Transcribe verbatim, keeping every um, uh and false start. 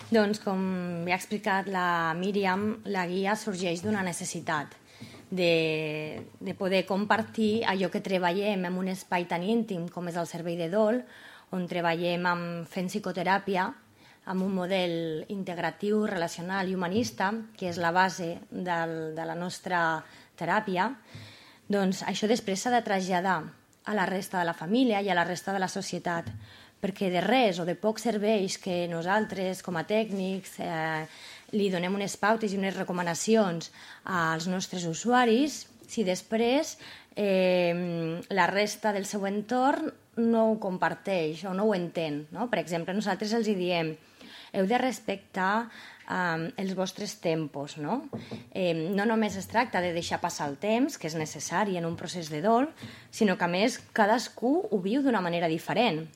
Doncs, com ja ha explicat la Míriam, la guia sorgeix d'una necessitat de, de poder compartir allò que treballem en un espai tan íntim com és el servei de dol, on treballem amb, fent psicoteràpia, amb un model integratiu, relacional i humanista, que és la base del, de la nostra teràpia. Doncs això després s'ha de traslladar a la resta de la família i a la resta de la societat, perquè de res o de poc serveix que nosaltres, com a tècnics, eh, li donem unes pautes i unes recomanacions als nostres usuaris si després eh, la resta del seu entorn no ho comparteix o no ho entén. No? Per exemple, nosaltres els diem heu de respectar um, els vostres tempos. No? Eh, no només es tracta de deixar passar el temps, que és necessari en un procés de dol, sinó que a més cadascú ho viu d'una manera diferent.